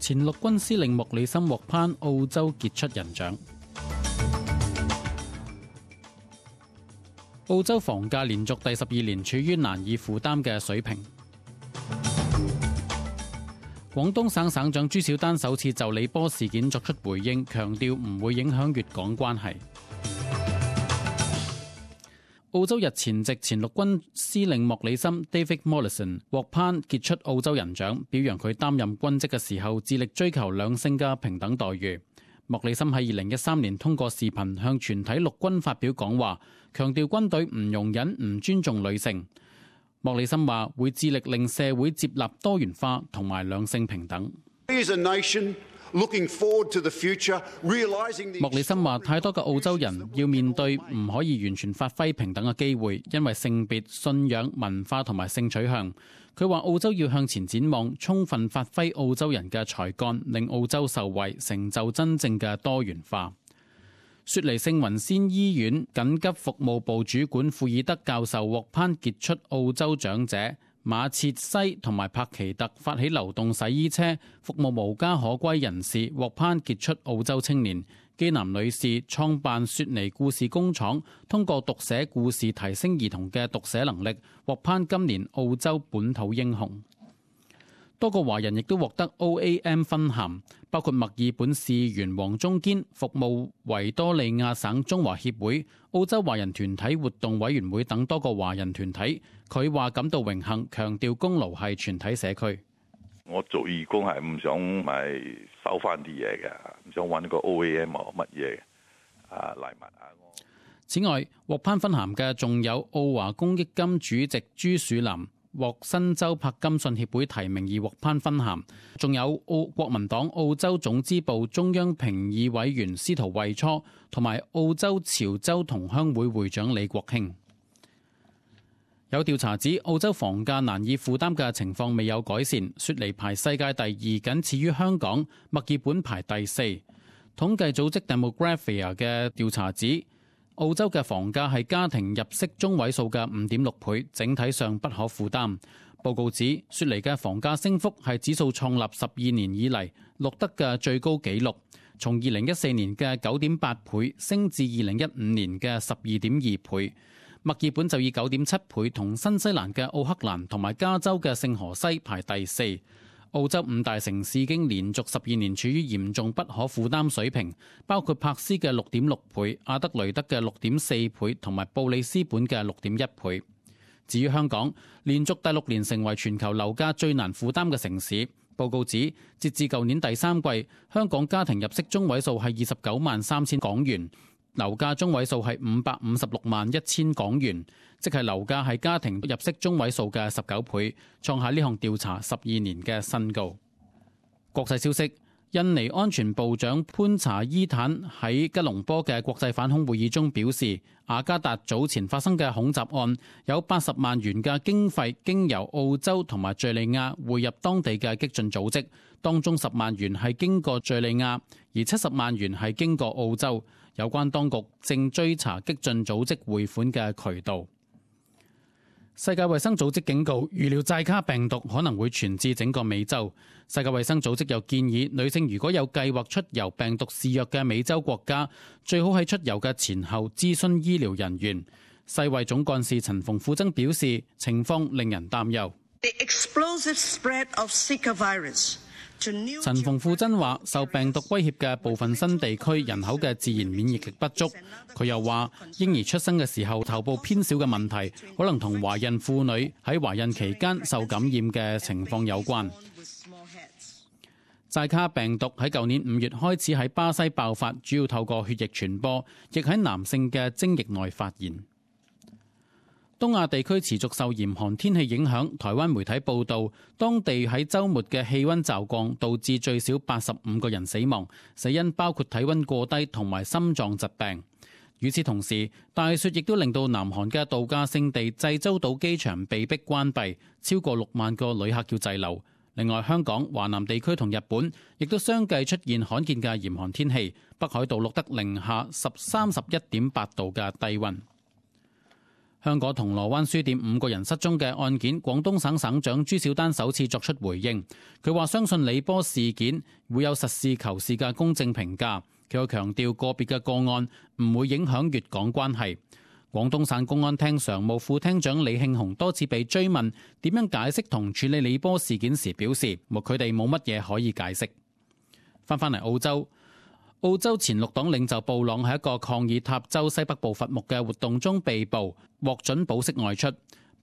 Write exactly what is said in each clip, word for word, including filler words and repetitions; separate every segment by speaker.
Speaker 1: 前陸軍司令莫里森獲頒澳洲傑出人獎。澳洲房價連續第十二年處於難以負擔嘅水平。廣東省省長朱小丹首次就李波事件作出回應，強調唔會影響粵港關係。澳洲日前夕前陸軍司令莫里森 David Mollison 獲頒傑出澳洲人獎，表揚佢擔任軍職嘅時候致力追求兩性嘅平等待遇。莫里森喺二零一三年通過視頻向全體陸軍發表講話，強調軍隊唔容忍唔尊重女性。莫里森話會致力令社會接納多元化同埋兩性平等。莫里森話太多嘅澳洲人要面對唔可以完全發揮平等嘅機會，因為性別、信仰、文化同埋性取向。佢話澳洲要向前展望，充分發揮澳洲人嘅才幹，令澳洲受惠，成就真正嘅多元化。雪梨聖雲仙醫院緊急服務部主管庫爾德教授獲頒傑出澳洲長者。馬切西同埋帕奇特發起流動洗衣車，服務無家可歸人士，獲頒傑出澳洲青年。基南女士創辦雪梨故事工廠，通過讀寫故事提升兒童嘅讀寫能力，獲頒今年澳洲本土英雄。多個華人亦都獲得 O A M 勳銜，包括墨爾本市員黃中堅，服務維多利亞省中華協會、澳洲華人團體活動委員會等多個華人團體。佢話感到榮幸，強調功勞係全體社區。
Speaker 2: 我做義工係唔想咪收翻啲嘢嘅，唔想揾個 O A M 啊乜嘢啊禮物啊。
Speaker 1: 此外，獲頒勳銜嘅仲有澳華公益金主席朱樹林，獲新州柏金遜協會提名而獲頒勳銜，仲有澳國民黨澳洲總支部中央評議委員司徒惠初，同埋澳洲潮州同鄉會會長李國興。有調查指澳洲房價難以負擔嘅情況未有改善，雪梨排世界第二，僅次於香港，墨爾本排第四。統計組織 Demographia 嘅調查指，澳洲嘅房價係家庭入息中位數嘅五點六倍，整體上不可負擔。報告指，雪梨嘅房價升幅係指數創立十二年以嚟錄得嘅最高紀錄，從二零一四年嘅九點八倍升至二零一五年嘅十二點二倍。墨爾本就以九點七倍同新西蘭嘅奧克蘭同埋加州嘅聖荷西排第四。澳洲五大城市已經連續十二年處於嚴重不可負擔水平，包括珀斯嘅六點六倍、阿德雷德嘅六點四倍同埋布里斯本嘅六點一倍。至於香港，連續第六年成為全球樓價最難負擔嘅城市。報告指，截至舊年第三季，香港家庭入息中位數係二十九萬三千港元。樓價中位數係五百五十六萬一千港元，即係樓價係家庭入息中位數嘅十九倍，創下呢項調查十二年嘅新高。國際消息，印尼安全部長潘查伊坦喺吉隆坡嘅國際反恐會議中表示，雅加達早前發生嘅恐襲案有八十萬元嘅經費經由澳洲同埋敘利亞匯入當地嘅激進組織，當中十萬元係經過敘利亞，而七十萬元係經過澳洲。有關當局正追查激進組織匯款嘅渠道。世界衛生組織警告，預料寨卡病毒可能會傳至整個美洲。世界衛生組織又建議，女性如果有計劃出遊病毒肆虐嘅美洲國家，最好喺出遊嘅前後諮詢醫療人員。世衛總幹事陳馮富珍表示，情況令人擔憂。
Speaker 3: The explosive spread of Zika virus
Speaker 1: 陳馮富珍話，受病毒威脅嘅部分新地區人口嘅自然免疫力不足。佢又話，嬰兒出生嘅時候頭部偏小嘅問題，可能同懷孕婦女喺懷孕期間受感染嘅情況有關。寨卡病毒喺舊年五月開始喺巴西爆發，主要透過血液傳播，亦喺男性嘅精液內發現。東亞地區持續受嚴寒天氣影響，台灣媒體報道，當地喺週末嘅氣溫驟降，導致最少八十五個人死亡，死因包括體溫過低同埋心臟疾病。與此同時，大雪亦都令到南韓嘅度假勝地濟州島機場被迫關閉，超過六萬個旅客要滯留。另外，香港、華南地區同日本亦都相繼出現罕見嘅嚴寒天氣，北海道錄得零下十三十一點八度嘅低溫。香港銅鑼灣書店五個人失蹤嘅案件，廣東省省長朱小丹首次作出回應。佢話相信李波事件會有實事求是嘅公正評價。佢又強調個別嘅個案唔會影響粵港關係。廣東省公安廳常務副廳長李慶雄多次被追問點樣解釋同處理李波事件時，表示佢哋冇乜嘢可以解釋。翻返嚟澳洲。澳洲前綠黨領袖布朗喺一個抗議塔州西北部伐木嘅活動中被捕，獲准保釋外出。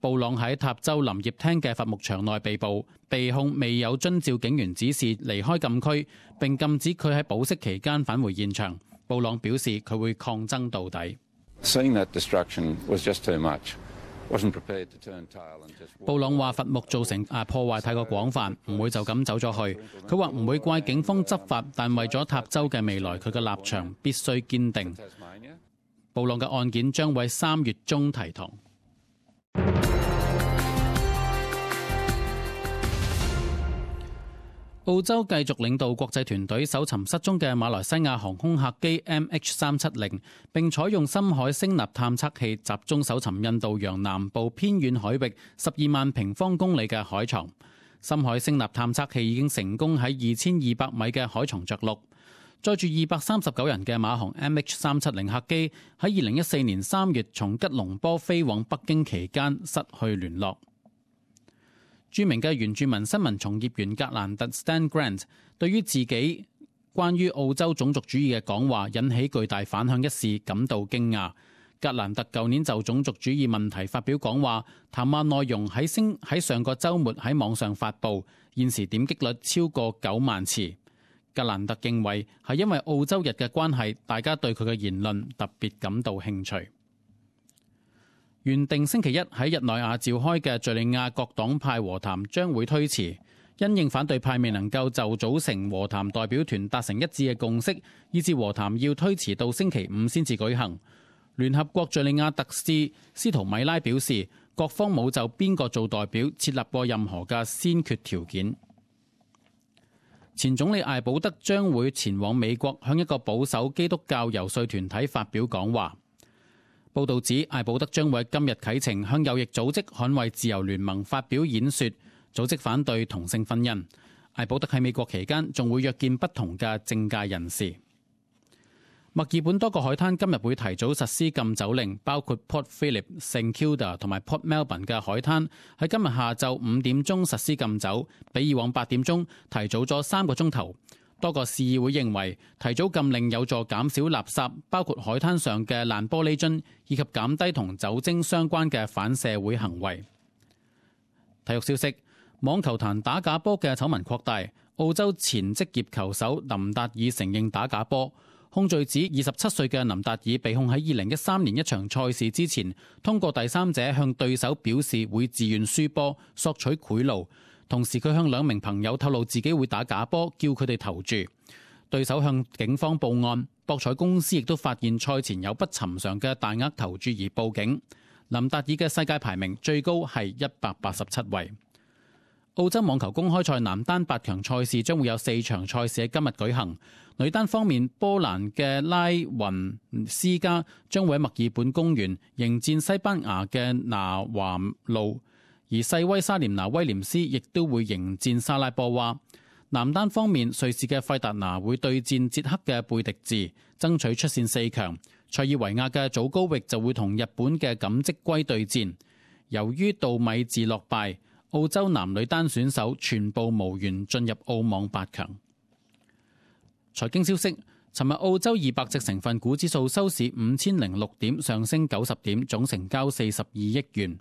Speaker 1: 布朗喺塔州林業廳嘅伐木場內被捕，被控未有遵照警員指示離開禁區，並禁止佢喺保釋期間返回現場。布朗表示佢會抗爭到底。布朗話伐木造成啊破壞太過廣泛，唔會就咁走咗去。佢話唔會怪警方執法，但為咗塔州嘅未來，佢嘅立場必須堅定。布朗嘅案件將會三月中提堂。澳洲繼續領導國際團隊搜尋失蹤嘅馬來西亞航空客機 M H 三七零，並採用深海聲納探測器集中搜尋印度洋南部偏遠海域十二萬平方公里嘅海床。深海聲納探測器已經成功喺二千二百米嘅海床着陸。載住二百三十九人嘅馬航 M H 三七零客機喺二零一四年三月從吉隆坡飛往北京期間失去聯絡。著名嘅原住民新聞從業員格蘭特 Stan Grant 對於自己關於澳洲種族主義嘅講話引起巨大反響一事感到驚訝。格蘭特舊年就種族主義問題發表講話，談話內容喺星喺上個週末喺網上發布，現時點擊率超過九萬次。格蘭特認為係因為澳洲日嘅關係，大家對佢嘅言論特別感到興趣。原定星期一喺日內瓦召開嘅敘利亞各黨派和談將會推遲，因應反對派未能夠就組成和談代表團達成一致嘅共識，以致和談要推遲到星期五先至舉行。聯合國敘利亞特使斯圖米拉表示，各方冇就邊個做代表設立過任何嘅先決條件。前總理艾保德將會前往美國向一個保守基督教遊說團體發表講話。報道指，艾保德將會今日啟程向右翼組織捍衛自由聯盟發表演說，組織反對同性婚姻。艾保德喺美國期間仲會約見不同嘅政界人士。墨爾本多個海灘今日會提早實施禁酒令，包括 Port Phillip、St Kilda 同埋 Port Melbourne 嘅海灘喺今日下晝五點鐘實施禁酒，比以往八點鐘提早咗三個鐘頭。多個市議會認為提早禁令有助減少垃圾，包括海灘上嘅爛玻璃樽，以及減低同酒精相關嘅反社會行為。體育消息：網球壇打假波嘅醜聞擴大，澳洲前職業球手林達爾承認打假波，控罪指二十七歲嘅林達爾被控喺二零一三年一場賽事之前，通過第三者向對手表示會自願輸波，索取賄賂。同時佢向兩名朋友透露自己會打假波，叫佢哋投注。對手向警方報案，博彩公司亦都發現賽前有不尋常嘅大額投注而報警。林達爾嘅世界排名最高係一百八十七位。澳洲網球公開賽男單八強賽事將會有四場賽事喺今日舉行。女單方面，波蘭嘅拉雲斯加將會喺墨爾本公園迎戰西班牙嘅拿華路。而細威莎廉娜威廉斯亦都會迎戰莎拉波娃。男單方面，瑞士嘅費達拿會對戰捷克嘅貝迪治，爭取出線四強。塞爾維亞嘅祖高域就會同日本嘅錦織圭對戰。由於杜米治落敗，澳洲男女單選手全部無緣進入澳網八強。財經消息：尋日澳洲二百隻成分股指數收市五千零六點，上升九十點，總成交四十二億元。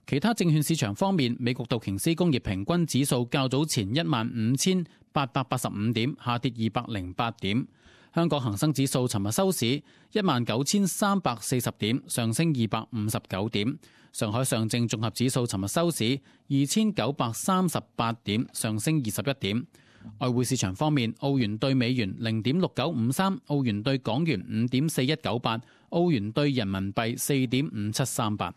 Speaker 1: 其他證券市場方面，美國道瓊斯工業平均指數較早前一萬五千八百八十五點，下跌二百零八點。香港恒生指數尋日收市一萬九千三百四十點，上升二百五十九點。上海上證綜合指數尋日收市二千九百三十八點，上升二十一點。外匯市場方面，澳元對美元零點六九五三，澳元對港元五點四一九八，澳元對人民幣四點五七三八。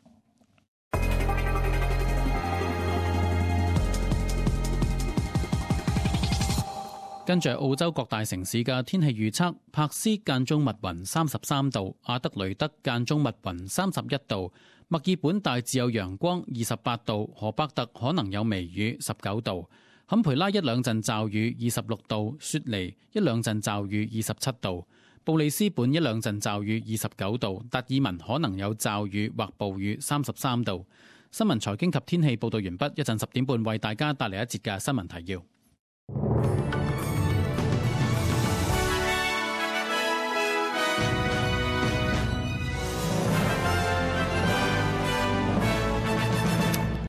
Speaker 1: 跟住澳洲各大城市嘅天氣預測，珀斯間中密雲三十三度，阿德雷德間中密雲三十一度，墨爾本大致有陽光二十八度，荷伯特可能有微雨十九度，坎培拉一兩陣驟雨二十六度，雪梨一兩陣驟雨二十七度，布里斯本一兩陣驟雨二十九度，達爾文可能有驟雨或暴雨三十三度。新聞財經及天氣報道完畢，一陣十點半為大家帶嚟一節嘅新聞提要。